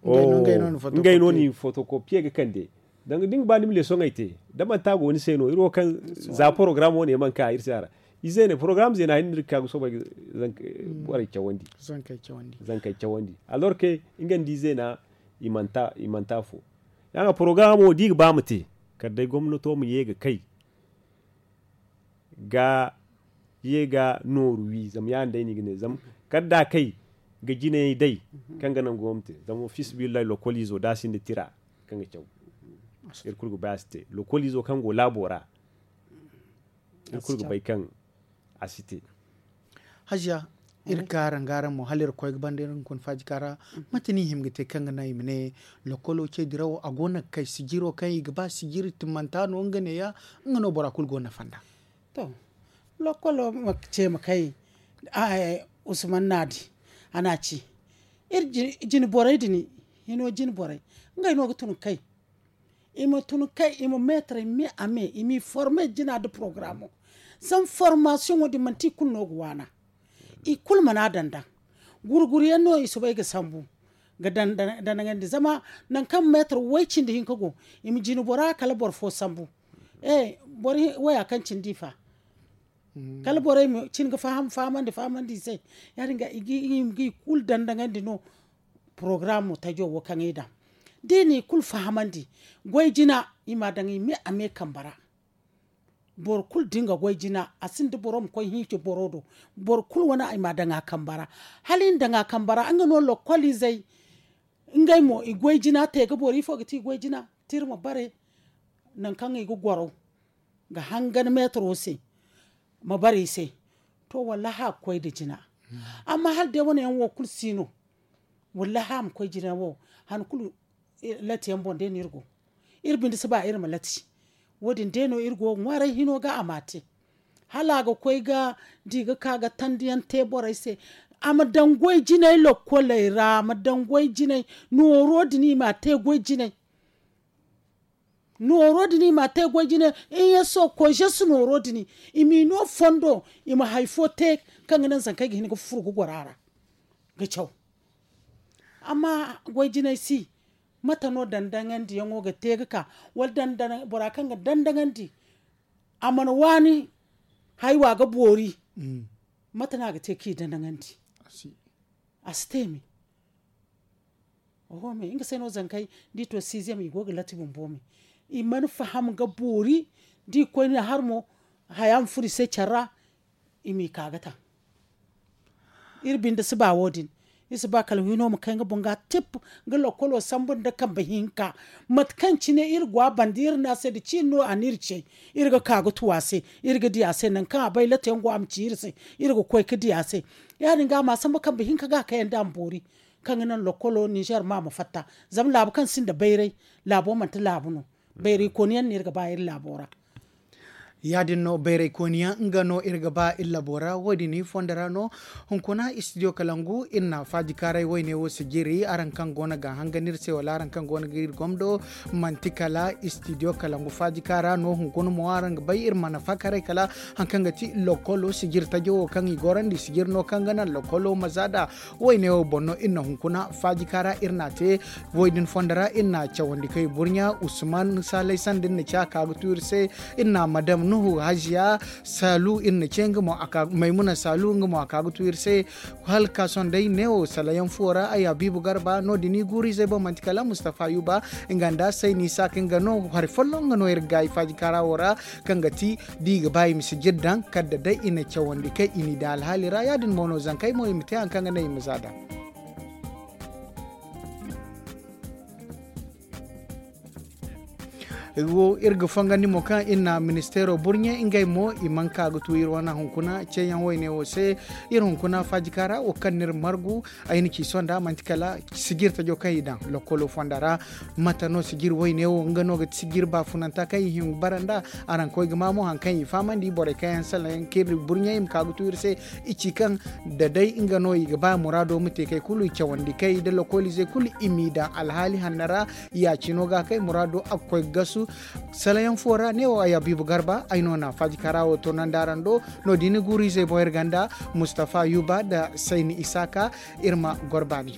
Ngey no ni fotokopiye ga kande. Danga da ni ga ba ni ma lesoŋey te da manti a go ni se no iri wo kaŋ za porogaraamo ne mana ka iri se a ra. Ize ne porogaraamo zeena hinne no iri ga ka ga soobay ga borey cawandi. Zankey cawandi. Alorke nga nda ize na i manti afo. Ya- nga porogaraamo da i ga ba ma te kala day gomnato ma ye ga kay ga ye ga nooru wi zama ya- din day no i ga ne zama kala da a kay ga jinayey day kaŋ ga naŋ go ma te zama fiisabilillahi lokoliizo da a sinda tira kaŋ ga caw iri kulu ga bay a si te lokoliizo kaŋ go laabo ra. Iri kulu ga bay kaŋ a si te. Hajiya iri ka araŋ ga araŋ mo hala iri koy ga banda iri hunkuna faaji ka ra. Mate no i hima ga te kaŋ ga naŋ i ma ne lokolo ce dirawo a go no ga kay sijiro kaŋ i ga ba sijiri timmanta no nga neeya nga no bora kulu go nafa nd'a. To lokolo ma ce ma kay usman naadi a na ci iri jine borey din hino jine borey ngey no ga tun ga kay. I ma tun kay i ma meetaray me a me i m'i forme jina nda porogaraamo. Zama formasiyoŋo din manti i kulu no ga waana. I kulu mana daŋ daŋ gurguryaŋ no i soobay ga sambu ga daŋ daŋ daŋ daŋandi zama nangu kaŋ meetar way cindi hinka go. I ma jina bora kala boro fo sambu. Boro waya kaŋ cindi i fa kala borey ma cin ga faham fahamandi fahamandi i se. Ya- din ga i ga i kulu daŋ daŋandi no. Porogaraamo tajo wo kaŋ i daŋ da i n'i kulu fahamandi goy jina i m'a daŋ i me a me kambe ra. Boro kulu da nga goy jina, a sinda boro ma koy hiici boro do. Boro kulu wane ay ma daŋ a kamba ra. Hala i na daŋ a kamba ra nga no lokkoliizey. Ngey mo i goy jina te ga boro ifo ga ti i goy jina? Tira ma bare. Nangu kaŋ i ga goro ga hangan meetaro se ma bare i se. To wallahi a ga koy nda jina. Amma hala day wane yaŋ wo kulu si no. Wallahi a ma koy jina wo. Han kulu lati yaŋ boŋ day no iri go. Iri binde si ba iri ma lati. Wo- din day no iri go ga ŋwaaray hino ga a ma a te. Hala a ga koy ga da i ga ka ga tandi yaŋ te borey se. A ma daŋ goy jinay lokkoley ra a ma daŋ goy jinay. Nooro din i ma a te goy jinay. Nooro din i ma a te goy jinay. In ya so koy jesu nooro din i m'i no fondo i ma hari fo te kaŋ ga naŋ zankey ga hin ga fufuru ga goro a ra ga caw. Amma goy jinay si mate no dandaŋandi yaŋo ga te ga ka? Wala bora kaŋ ga dandaŋandi a mana waani haywa ga boori. Mate no a ga te kaŋ i dandaŋandi? A si te me. Oho me nga se no zankey da i to siizem i go ga lati bumbo me. I mana faham ga boori da i koy na har mo haya ma furo i se care ra. I m'i ka ga taŋ. Iri binde si ba wo- din. Iri si ba kala hino ma kay nga boŋ ga tip. Nga lokkolo sambu nda kambe hinka. Mate kaŋ cine iri go a banda iri ne a se da ciini no a na iri cey. Iri ga ka ga tu a se. Iri ga di a se nangu kaŋ a bay late yaŋ go a ma ci iri se. Iri ga koy ga di a se. Ya- din ga a ma sambu kambe hinka ga a kayandi a ma boori. Kaŋ ga naŋ lokkolo ninzeer ma a ma fatta. Zama laabu kaŋ sinda bayray laabo manti laabu no. Bayray kooni yaŋ no iri ga ba iri laabo ra. Ya- din no bayray kooni yaŋ nga no iri ga ba iri laabo ra wo- din i fondo ra no. Hunkuna istidiyo kalangu iri na faajikaaray wayne wo sijiri araŋ kaŋ go no ga a hangan iri se wala araŋ kaŋ go no ga iri gomdo. Manti kala istidiyo kalangu faajikaara no hunkuna mo araŋ ga bay iri mana faakaray kala hari kaŋ ga ti lokkolo sijiri tajo wo kaŋ i gorandi sijiri no kaŋ ga naŋ lokkolo ma za nd'a. Wayne wo boŋ no iri na hunkuna faajikaara iri na a te. Wo- din fondo ra iri na cawandi kay burɲa usman saalay sanda iri na ci a ka ga tu iri se. Iri na madam nuhu haziya saalu iri na ce nga mo a ka maymuna saalu nga mo a ka ga tu iri se. Hala ka sohõ day neewo salayaŋ fuwo ra ay habiibu garba no- din i guuru izey boŋ manti kala mustafa yuba. Nga nda sayni isaaka nga no hari folloŋ nga no iri ga gaayi faajikaara wo ra kaŋ ga ti da i ga ba i ma si jiri daŋ kala da day i na cawandi kay i n'i daŋ alhaali ra ya- din mo no zankey mo i ma te hari kaŋ ga naŋ i ma za daŋ. Wo iri ga fangandi mo kaŋ iri na ministeero burɲe ngey mo i mana ka ga tu iri wane hunkuna ceeyaŋ wayne wo se. Iri hunkuna faajikaara wo kaŋ no iri margu ay na ci sohõ nda manti kala sijiri tajo kaŋ i daŋ lokkolo fonda ra. Mate no sijiri wayne wo nga no ga ti sijiri baafunanta kaŋ i hin ga bara nd'a? Araŋ koy ga ma mo hari kaŋ i fahamandi borey kaŋ yaŋ salaŋ yaŋ kaŋ iri burɲey i ma ka ga tu iri se. I ci kaŋ da day nga no i ga ba muraado ma te kay kulu i cawandi kay da lokkoliizey kulu i m'i daŋ alhaali hanno ra. Ya- cino ga kay muraado a ga koy ga gasu. Salayaŋ fo ra neewo ay habiibu garba ay no na faajikaara wo toonandi araŋ do. No- din i guuru izey boŋ iri ganda mustafa yuba nda sayni isaaka. Iri ma goro baani.